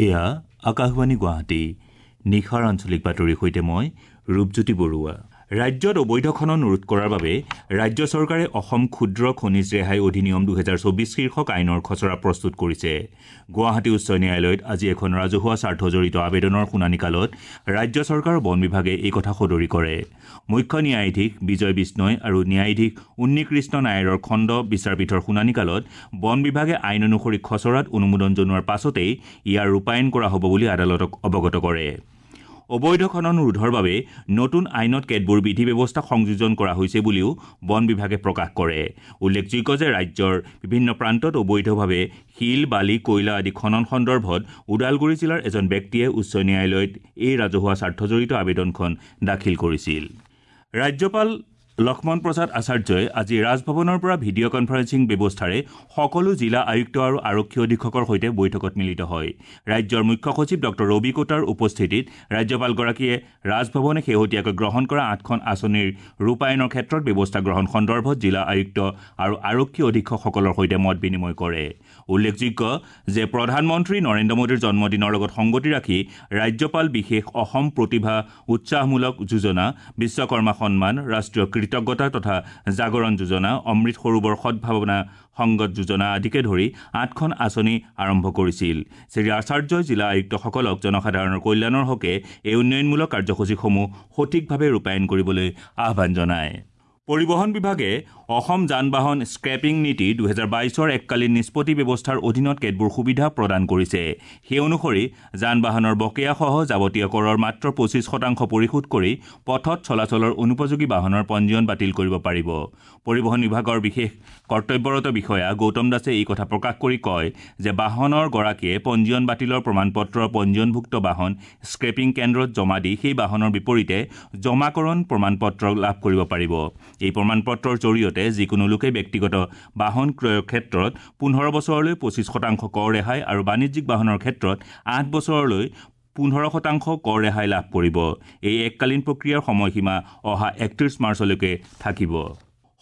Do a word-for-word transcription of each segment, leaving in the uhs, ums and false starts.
এয়া আকাশবাণী গুৱাহাটী। নিশাৰ আঞ্চলিক বাতৰিৰ সৈতে মই ৰূপজ্যোতি বৰুৱা। ৰাজ্যত অবৈধ খনন ৰোধ কৰাৰ বাবে ৰাজ্য চৰকাৰে অসম ক্ষুদ্ৰ খনিজ ৰেহাই অধিনিয়ম দুহেজাৰ চৌবিছ শীৰ্ষক আইনৰ খচৰা প্ৰস্তুত কৰিছে। গুৱাহাটী উচ্চ ন্যায়ালয়ত আজি এখন ৰাজহুৱা স্বাৰ্থজড়িত আবেদনৰ শুনানিকালত ৰাজ্য চৰকাৰৰ বন বিভাগে এই কথা সদৰি কৰে। মুখ্য ন্যায়াধীশ বিজয় বিষ্ণয় আৰু ন্যায়াধীশ উন্নীকৃষ্ণ নায়াৰৰ খণ্ড বিচাৰপীঠৰ শুনানিকালত বন বিভাগে আইন অনুসৰি খচৰাত অনুমোদন জনোৱাৰ পাছতেই ইয়াৰ ৰূপায়ণ কৰা হ'ব বুলি আদালতক অৱগত কৰে। অবৈধ খনন ৰোধৰ বাবে নতুন আইনত কেতবোৰ বিধি ব্যৱস্থা সংযোজন কৰা হৈছে বুলিও বন বিভাগে প্ৰকাশ কৰে। উল্লেখযোগ্য যে ৰাজ্যৰ বিভিন্ন প্ৰান্তত অবৈধভাৱে শিল, বালি, কয়লা আদি খনন সন্দৰ্ভত ওদালগুৰি জিলাৰ এজন ব্যক্তিয়ে উচ্চ ন্যায়ালয়ত এই ৰাজহুৱা স্বাৰ্থজড়িত আবেদনখন দাখিল কৰিছিল। ৰাজ্যপাল লক্ষ্মণ প্ৰসাদ আচাৰ্যই আজি ৰাজভৱনৰ পৰা ভিডিঅ' কনফাৰেন্সিং ব্যৱস্থাৰে সকলো জিলা আয়ুক্ত আৰু আৰক্ষী অধীক্ষকৰ সৈতে বৈঠকত মিলিত হয়। ৰাজ্যৰ মুখ্য সচিব ডক্টৰ ৰবি কোটাৰ উপস্থিতিত ৰাজ্যপালগৰাকীয়ে ৰাজভৱনে শেহতীয়াকৈ গ্ৰহণ কৰা আঠখন আঁচনিৰ ৰূপায়ণৰ ক্ষেত্ৰত ব্যৱস্থা গ্ৰহণ সন্দৰ্ভত জিলা আয়ুক্ত আৰু আৰক্ষী অধীক্ষকসকলৰ সৈতে মত বিনিময় কৰে। উল্লেখযোগ্য যে প্ৰধানমন্ত্ৰী নৰেন্দ্ৰ মোদীৰ জন্মদিনৰ লগত সংগতি ৰাখি ৰাজ্যপাল বিশেষ অসম প্ৰতিভা উৎসাহমূলক যোজনা, বিশ্বকৰ্মা সন্মান, ৰাষ্ট্ৰীয় কৃতজ্ঞতা তথা জাগৰণ যোজনা, অমৃত সৰোবৰ সদ্ভাৱনা সংগত যোজনা আদিকে ধৰি আঠখন আঁচনি আৰম্ভ কৰিছিল। শ্ৰী আচাৰ্যই জিলা আয়ুক্তসকলক জনসাধাৰণৰ কল্যাণৰ হকে এই উন্নয়নমূলক কাৰ্যসূচীসমূহ সঠিকভাৱে ৰূপায়ণ কৰিবলৈ আহ্বান জনায়। পৰিবহণ বিভাগে অসম যান বাহন স্ক্ৰেপিং নীতি দুহেজাৰ বাইছৰ এককালীন নিষ্পত্তি ব্যৱস্থাৰ অধীনত কেতবোৰ সুবিধা প্ৰদান কৰিছে। সেই অনুসৰি যান বাহনৰ বকেয়াসহ যাৱতীয় কৰৰ মাত্ৰ পঁচিছ শতাংশ পৰিশোধ কৰি পথত চলাচলৰ অনুপযোগী বাহনৰ পঞ্জীয়ন বাতিল কৰিব পাৰিব। পৰিবহণ বিভাগৰ বিশেষ কৰ্তব্যৰত বিষয়া গৌতম দাসে এই কথা প্ৰকাশ কৰি কয় যে বাহনৰ গৰাকীয়ে পঞ্জীয়ন বাতিলৰ প্ৰমাণপত্ৰ পঞ্জীয়নভুক্ত বাহন স্ক্ৰেপিং কেন্দ্ৰত জমা দি সেই বাহনৰ বিপৰীতে জমাকৰণ প্ৰমাণপত্ৰ লাভ কৰিব পাৰিব। এই প্ৰমাণপত্ৰৰ জৰিয়তে যিকোনো লোকে ব্যক্তিগত বাহন ক্ৰয়ৰ ক্ষেত্ৰত পোন্ধৰ বছৰলৈ পঁচিছ শতাংশ কৰ ৰেহাই আৰু বাণিজ্যিক বাহনৰ ক্ষেত্ৰত আঠ বছৰলৈ পোন্ধৰ শতাংশ কৰ ৰেহাই লাভ কৰিব। এই এককালীন প্ৰক্ৰিয়াৰ সময়সীমা অহা একত্ৰিছ মাৰ্চলৈকে থাকিব।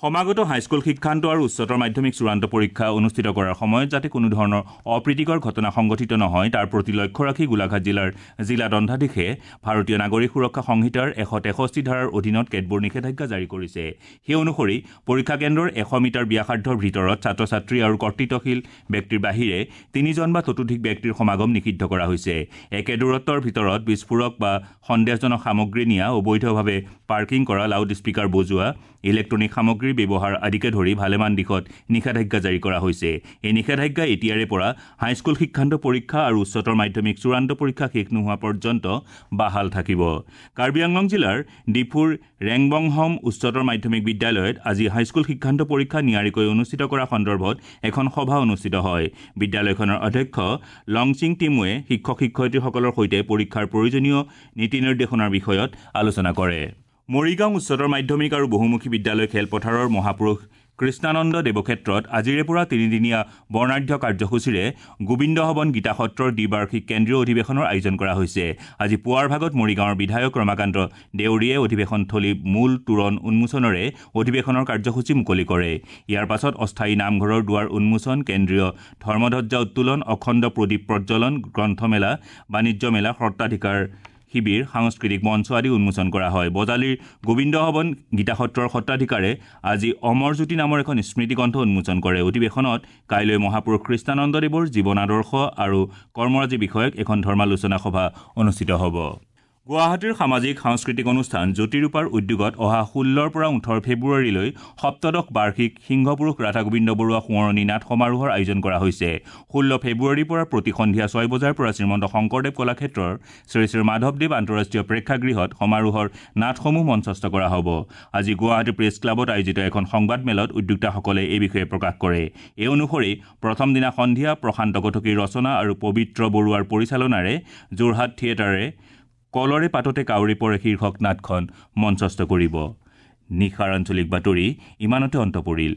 সমাগত হাইস্কুল শিক্ষান্ত আৰু উচ্চতৰ মাধ্যমিক চূড়ান্ত পৰীক্ষা অনুষ্ঠিত কৰাৰ সময়ত যাতে কোনো ধৰণৰ অপ্ৰীতিকৰ ঘটনা সংঘটিত নহয় তাৰ প্ৰতি লক্ষ্য ৰাখি গোলাঘাট জিলাৰ জিলা দণ্ডাধীশে ভাৰতীয় নাগৰিক সুৰক্ষা সংহিতাৰ এশ তেষষ্ঠি ধাৰাৰ অধীনত কেতবোৰ নিষেধাজ্ঞা জাৰি কৰিছে। সেই অনুসৰি পৰীক্ষা কেন্দ্ৰৰ এশ মিটাৰ ব্যাসাৰ্ধৰ ভিতৰত ছাত্ৰ ছাত্ৰী আৰু কৰ্তৃত্বশীল ব্যক্তিৰ বাহিৰে তিনিজন বা ততোধিক ব্যক্তিৰ সমাগম নিষিদ্ধ কৰা হৈছে। একে দূৰত্বৰ ভিতৰত বিস্ফোৰক বা সন্দেহজনক সামগ্ৰী নিয়া, অবৈধভাৱে পাৰ্কিং কৰা, লাউড স্পীকাৰ বজোৱা, ইলেক্ট্ৰনিক সামগ্ৰীৰ ব্যৱহাৰ আদিকে ধৰি ভালেমান দিশত নিষেধাজ্ঞা জাৰি কৰা হৈছে। এই নিষেধাজ্ঞা এতিয়াৰে পৰা হাইস্কুল শিক্ষান্ত পৰীক্ষা আৰু উচ্চতৰ মাধ্যমিক চূড়ান্ত পৰীক্ষা শেষ নোহোৱা পৰ্যন্ত বাহাল থাকিব। কাৰ্বি আংলং জিলাৰ ডিফুৰ ৰেংবংহম উচ্চতৰ মাধ্যমিক বিদ্যালয়ত আজি হাইস্কুল শিক্ষান্ত পৰীক্ষা নিয়াৰিকৈ অনুষ্ঠিত কৰা সন্দৰ্ভত এখন সভা অনুষ্ঠিত হয়। বিদ্যালয়খনৰ অধ্যক্ষ লংচিং টিমুৱে শিক্ষক শিক্ষয়িত্ৰীসকলৰ সৈতে পৰীক্ষাৰ প্ৰয়োজনীয় নীতি নিৰ্দেশনাৰ বিষয়ত আলোচনা কৰে। মৰিগাঁও উচ্চতৰ মাধ্যমিক আৰু বহুমুখী বিদ্যালয় খেলপথাৰৰ মহাপুৰুষ কৃষ্ণানন্দ দেৱক্ষেত্ৰত আজিৰে পৰা তিনিদিনীয়া বৰ্ণাঢ্য কাৰ্যসূচীৰে গোবিন্দ ভৱন গীতা সত্ৰৰ দ্বিবাৰ্ষিক কেন্দ্ৰীয় অধিৱেশনৰ আয়োজন কৰা হৈছে। আজি পুৱাৰ ভাগত মৰিগাঁৱৰ বিধায়ক ৰমাকান্ত দেউৰীয়ে অধিৱেশনথলী মূল তোৰণ উন্মোচনেৰে অধিৱেশনৰ কাৰ্যসূচী মুকলি কৰে। ইয়াৰ পাছত অস্থায়ী নামঘৰৰ দুৱাৰ উন্মোচন, কেন্দ্ৰীয় ধৰ্মধ্বজা উত্তোলন, অখণ্ড প্ৰদীপ প্ৰজ্বলন, গ্ৰন্থমেলা, বাণিজ্য মেলা, সত্ৰাধিকাৰ শিবিৰ, সাংস্কৃতিক মঞ্চ আদি উন্মোচন কৰা হয়। বজালীৰ গোবিন্দ ভৱন গীতা সত্ৰৰ সত্ৰাধিকাৰে আজি অমৰজ্যোতি নামৰ এখন স্মৃতিগ্ৰন্থ উন্মোচন কৰে। অধিৱেশনত কাইলৈ মহাপুৰুষ কৃষ্ণানন্দদেৱৰ জীৱন আদৰ্শ আৰু কৰ্মৰাজি বিষয়ক এখন ধৰ্মালোচনা সভা অনুষ্ঠিত হ'ব। গুৱাহাটীৰ সামাজিক সাংস্কৃতিক অনুষ্ঠান জ্যোতিৰূপাৰ উদ্যোগত অহা ষোল্লৰ পৰা ওঠৰ ফেব্ৰুৱাৰীলৈ সপ্তদশ বাৰ্ষিক সিংহপুৰুষ ৰাধা গোবিন্দ বৰুৱা সোঁৱৰণী নাট সমাৰোহৰ আয়োজন কৰা হৈছে। ষোল্ল ফেব্ৰুৱাৰীৰ পৰা প্ৰতি সন্ধিয়া ছয় বজাৰ পৰা শ্ৰীমন্ত শংকৰদেৱ কলাক্ষেত্ৰৰ শ্ৰী শ্ৰী মাধৱদেৱ আন্তঃৰাষ্ট্ৰীয় প্ৰেক্ষাগৃহত সমাৰোহৰ নাটসমূহ মঞ্চস্থ কৰা হ'ব। আজি গুৱাহাটী প্ৰেছ ক্লাবত আয়োজিত এখন সংবাদমেলত উদ্যোক্তাসকলে এই বিষয়ে প্ৰকাশ কৰে। এই অনুসৰি প্ৰথম দিনা সন্ধিয়া প্ৰশান্ত কটকীৰ ৰচনা আৰু পবিত্ৰ বৰুৱাৰ পৰিচালনাৰে যোৰহাট থিয়েটাৰে কলৰে পাততে কাউৰী পৰে শীৰ্ষক নাটখন মঞ্চস্থ কৰিব। নিশাৰ আঞ্চলিক বাতৰি ইমানতে অন্ত পৰিল।